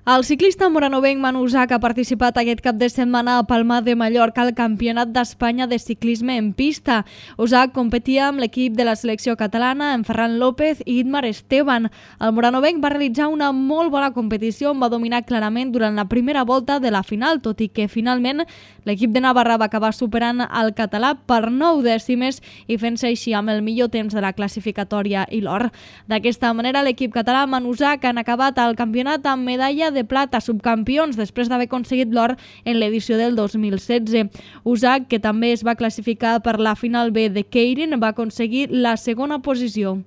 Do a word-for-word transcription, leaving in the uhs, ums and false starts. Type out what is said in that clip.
El ciclista moranovenc Manu Usach ha participat aquest cap de setmana a Palma de Mallorca al Campionat d'Espanya de ciclisme en pista. Usach competia amb l'equip de la selecció catalana, en Ferran López i Itmar Esteban. El moranovenc va realitzar una molt bona competició on va dominar clarament durant la primera volta de la final, tot i que finalment l'equip de Navarra va acabar superant el català per nou dècimes i fent-se així amb el millor temps de la classificatòria i l'or. D'aquesta manera, l'equip català Manu Usach han acabat el campionat amb medalla de plata subcampions després d'haver aconseguit l'or en l'edició del dos mil setze. Usach, que també es va classificar per la final B de Keirin, va aconseguir la segona posició.